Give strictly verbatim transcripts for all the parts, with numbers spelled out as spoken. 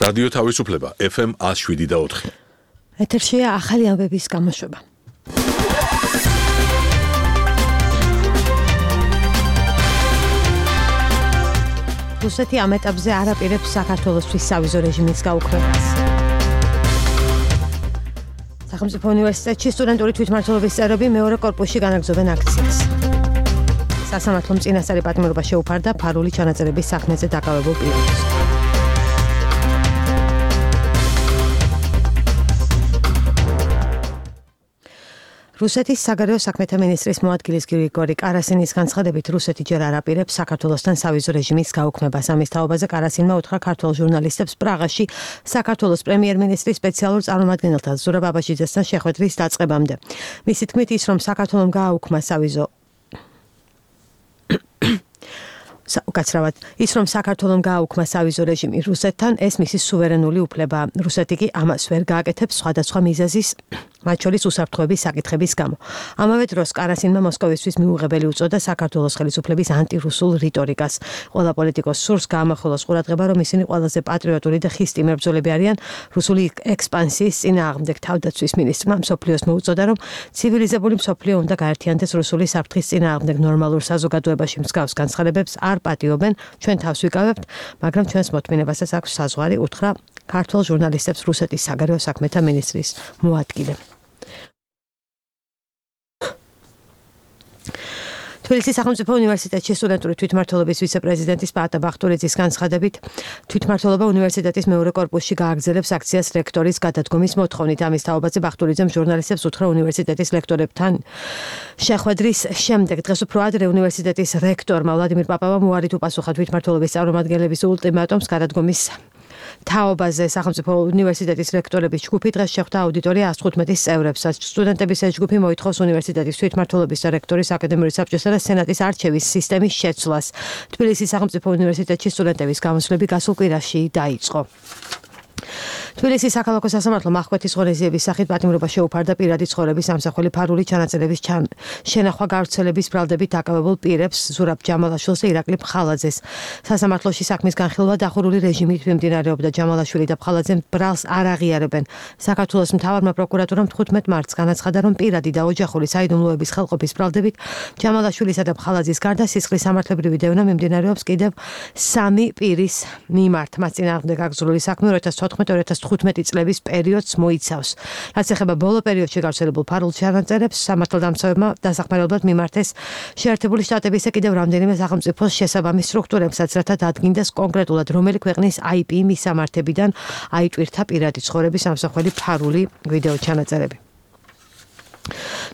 რადიო თავისუფლება ეფ ემ one oh seven და four. ეთერშია ახალი ამბების გამოშვება. რუსეთი ამ ეტაპზე არ აპირებს საქართველოსთვის სავიზო რეჟიმის გაუქმებას. სახელმწიფო უნივერსიტეტში სტუდენტური თვითმმართველობის წევრები მეორე კორპუსში განაგრძობენ აქციას. სასამართლომ წინასწარი პატიმრობა შეუფარდა ფარული ჩანაწერების საქმეზე დაკავებულ პირებს. რუსეთის საგარეო საქმეთა მინისტრის მოადგილის გრიგორი კარასინის განცხადებით რუსეთი ჯერ არ აპირებს საქართველოსთან სავიზო რეჟიმის გაუქმებას. ამის თაობაზე კარასინმა უთხრა ქართველ ჟურნალისტებს პრაღაში საქართველოს პრემიერ-მინისტრის სპეციალურ წარმომადგენელთან ზურაბ აბაშიძესთან შეხვედრის დაწყებამდე. მისი თქმით ის რომ საქართველოს გააუქმა სავიზო უკაცრავად ის რომ საქართველოს გააუქმა სავიზო რეჟიმი რუსეთთან ეს მისი სუვერენული უფლებაა. რუსეთი კი ამას ვერ გააკეთებს სხვადასხვა მიზეზის მათ შორის უსაფრთხოების საკითხების გამო. ამავე დროს კარასინმა მოსკოვისთვის მიუღებელი უწოდა საქართველოს ხელისუფლების ანტირუსულ რიტორიკას. ყველა პოლიტიკოს სურს გაამახვილოს ყურადღება რომ ისინი ყველაზე პატრიოტული და ხისტი მებრძოლები არიან. რუსული ექსპანსიის წინააღმდეგ თავდაცვის მინისტრმა მსოფლიოს მოუწოდა რომ ცივილიზებული მსოფლიო უნდა გაერთიანდეს რუსული საფრთხის წინააღმდეგ ნორმალურ საზოგადოებაში მსგავს განცხადებებს არ პატიობენ, ჩვენ თავს ვიკავებთ, მაგრამ ჩვენს მოთმინებასაც აქვს საზღვარი, უთხრა ქართველ ჟურნალისტებს რუსეთის საგარეო საქმეთა მინისტრის მოადგილე. თბილისის სახელმწიფო უნივერსიტეტში სტუდენტური თვითმმართველობის ვიცე-პრეზიდენტის პაატა ბახტურიძის განცხადებით თვითმმართველობა უნივერსიტეტის მეორე კორპუსში გააგრძელებს აქციას რექტორის გადადგომის მოთხოვნით. ამის თაობაზე ბახტურიძემ ჟურნალისტებს უთხრა უნივერსიტეტის ლექტორებთან შეხვედრის შემდეგ დღეს უფრო ადრე უნივერსიტეტის რექტორმა ვლადიმირ პაპავამ უარით უპასუხა თვითმმართველობის წარმომადგენლების ულტიმატუმს გადადგომის თაობაზე. სახელმწიფო უნივერსიტეტის რექტორების ჯგუფი დღეს შეხვდა აუდიტორია one hundred fifteen წევრებსაც. სტუდენტების ეს ჯგუფი მოითხოვს უნივერსიტეტის თვითმმართველობის და რექტორის აკადემიური საბჭოსა და სენატის არჩევის სისტემის შეცვლას. თბილისის სახელმწიფო უნივერსიტეტში სტუდენტების გამოსვლები გასულ კვირაში დაიწყო. თბილისის საქალაქო სასამართლომ ახკვეთის ღონისძიების სახით პატიმრობა შეუფარდა პირადი ცხოვრების ამსახველი ფარული ჩანაწერების შენახვა გავრცელების ბრალდებით დაკავებულ პირებს ზურაბ ჯამალაშვილს და ირაკლი ფხალაძეს. სასამართლოში საქმის განხილვა დახურული რეჟიმით მიმდინარეობდა. ჯამალაშვილი და ფხალაძე ბრალს არ აღიარებენ. საქართველოს მთავარმა პროკურატურამ თხუთმეტ მარტს განაცხადა, რომ პირადი და ოჯახური საიდუმლოების ხელყოფის ბრალდებით ჯამალაშვილისა და ფხალაძის გარდა სისხლის სამართლებრივი დევნა მიმდინარეობს კიდევ სამი პირის მიმართ. მას წინააღმდეგ აგზრული საქმე two thousand fourteen two thousand fifteen წლების პერიოდს მოიცავს. რაც ეხება ბოლო პერიოდში გავრცელებულ ფარულ ჩანაწერებს, სამართალდამცავებმა დასახმარებლად მიმართეს შეერთებული შტატებისა კიდევ რამდენიმე სახელმწიფოს შესაბამის სტრუქტურებსაც, რათა დადგინდეს კონკრეტულად რომელი ქვეყნის აი პი მისამართებიდან აიტვირთა პირადი ცხოვრების ამსახველი ფარული ვიდეო ჩანაწერები.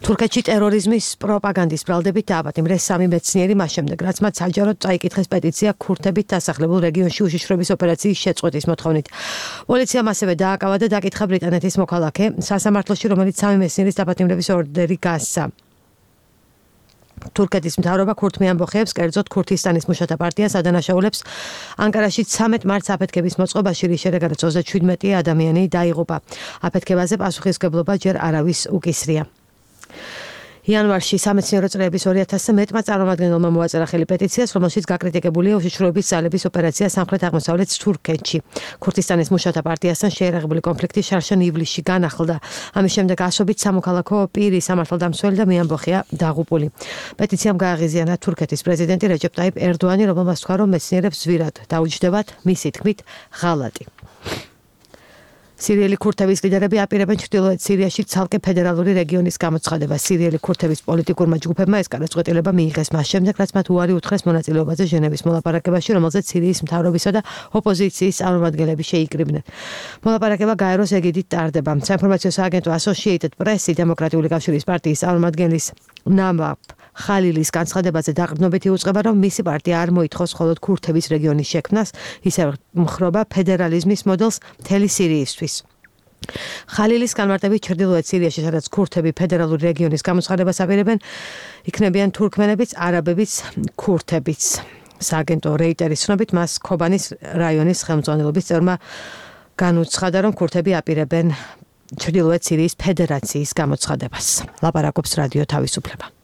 თურქეთში ტერორიზმის პროპაგანდის ბრალდებით დააპატიმრეს სამი მეცნიერი მას შემდეგ, რაც მათ საჯაროდ წაიკითხეს პეტიცია ქურთებით დასახლებულ რეგიონში უშიშროების ოპერაციის შეწყვეტის მოთხოვნით. პოლიციამ ასევე დააკავა და დაკითხა ბრიტანეთის მოქალაქე სასამართლოში, რომელიც სამი მეცნიერის დაპატიმრების ორდერი გასცა. თურქეთის მთავრობა ქურთმი ამბოხეებს, კერძოდ ქურთისტანის მუშათა პარტიას ადანაშაულებს ანკარაში ცამეტ მარტს აფეთქების მოწყობაში, რის შედეგადაც ოცდაშვიდმეტი ადამიანი დაიღუპა. აფეთქებაზე პასუხისმგებლობა ჯერ არავის უკისრია. იანვარში სამეცნიერო წრეების two thousand მეტმა წარმომადგენელმა მოაწერა ხელი პეტიციას, რომელშიც გაკრიტიკებულია უშიშროების ძალების ოპერაცია სამხრეთ-აღმოსავლეთ თურქეთში. ქურთისტანის მუშათა პარტიასთან შეერაღებული კონფლიქტი შარშან ივლისში განახლდა. ამის შემდეგ ასობით სამოქალაქო პირი, სამართალდამცველი და მეამბოხეა დაღუპული. პეტიციამ გააღიზიანა თურქეთის პრეზიდენტი რეჯეპ ტაიპ ერდოანი, რომელმაც თქვა, რომ მეცნიერებს ზვირად დაუჯდებათ მისი თქმით ღალატი. სირიელი ქურთების ლიდერები აპირებენ ჩრდილოეთ სირიაში ცალკე ფედერალური რეგიონის გამოცხადებას. სირიელი ქურთების პოლიტიკურმა ჯგუფებმა ეს გადაწყვეტილება მიიღეს მას შემდეგ, რაც მათ უარი უთხრეს მონაწილეობაზე ჟენევის მოლაპარაკებაში, რომელზეც სირიის მთავრობისა და ოპოზიციის წარმომადგენლები შეიკრიბნენ. მოლაპარაკება გაეროს ეგიდით ტარდება. საინფორმაციო სააგენტო Associated Press დემოკრატიული კავშირის პარტიის წარმომადგენლის ნამაბ ხალილის განცხადებაზე დაყრდნობით იუწყება, რომ მისი პარტია არ მოითხოვს მხოლოდ ქურთების რეგიონის შექმნას, ისევ მხრობა ფედერალიზმის მოდელს მთელი სირიისთვის. ხალილის განმარტებით ჩრდილოეთ სირიაში, სადაც ქურთები ფედერალური რეგიონის გამოცხადებას აპირებენ, იქნებიან თურქმენებიც, არაბებიც, ქურთებიც. სააგენტო რეიტერის ცნობით, მას ქობანის რაიონის ხელმძღვანელობის წევრმა განუცხადა, რომ ქურთები აპირებენ ჩრდილოეთ სირიის ფედერაციის გამოცხადებას. ლაპარაკობს რადიო თავისუფლება.